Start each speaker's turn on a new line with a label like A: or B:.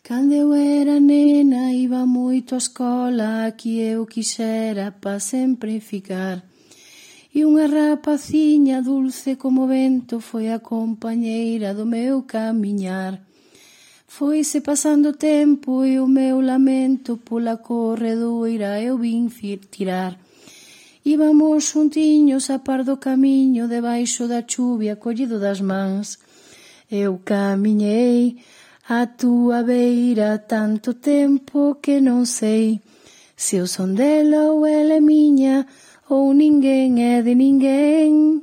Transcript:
A: Cando eu era nena iba moito á escola, que eu quixera pa sempre ficar. E unha rapaciña dulce como vento foi a compañeira do meu camiñar. Foise pasando o tempo e o meu lamento pola corredoira eu vin tirar. Íbamos xuntiños a par do camiño, debaixo da chuvia collido das mans. Eu camiñei a túa beira tanto tempo que non sei se eu son dela ou ela é miña, ou ninguén é de ninguén.